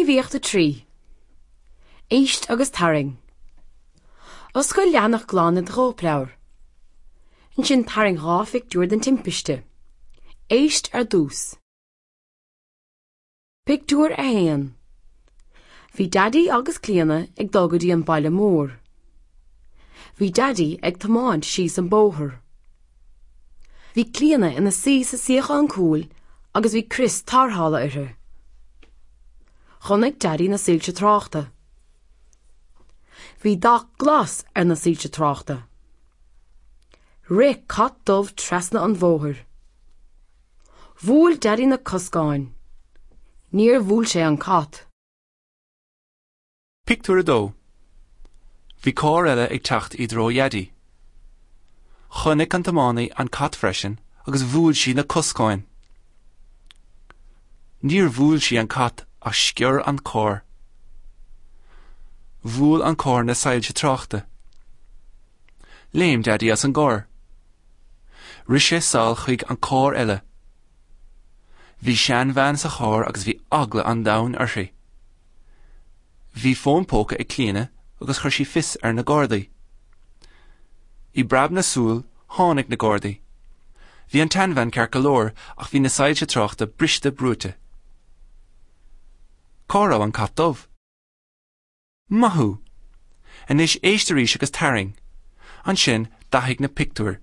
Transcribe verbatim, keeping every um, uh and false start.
Gníomhaíocht a trí. Éist agus tarraing. Oscail leathanach glan i do chóipleabhar. Ansin tarraing dhá phictiúr den timpiste. Éist ar dtús. Pictiúr a haon. Bhí Daidí agus Clíona ag dul go dtí an baile mór. Bhí Daidí ag tiomáint síos an bóthar. Bhí Clíona ina suí sa suíochán cúil agus bhí crios tarrthála uirthi. Chonaic Daidí na soilse tráchta. Bhí dath glas ar na soilse tráchta. Rith cat dubh trasna an bhóthair. Bhuail Daidí na coscáin. Níor bhuail sé an cat. Pictiúr a dó. Bhí carr eile ag teacht i dtreo Dhaidí. Chonaic an tiománaí an cat freisin agus bhuail sí na coscáin. Níor bhuail sí an cat ach sciorr an carr. Bhuail an carr na soilse tráchta. Léim Daidí as an gcarr. Rith sé sall chuig an carr eile. Bhí seanbhean sa charr agus bhí eagla an domhain uirthi. Bhí fón póca ag Clíona agus chuir sí fios ar na Gardaí. I bpreab na súl tháinig na Gardaí. Bhí an tseanbhean ceart go leor ach bhí na soilse tráchta briste brúite. Cá raibh an cat dubh? Maith thú! Anois éist arís agus tarraing. Ansin dathaigh na pictiúir.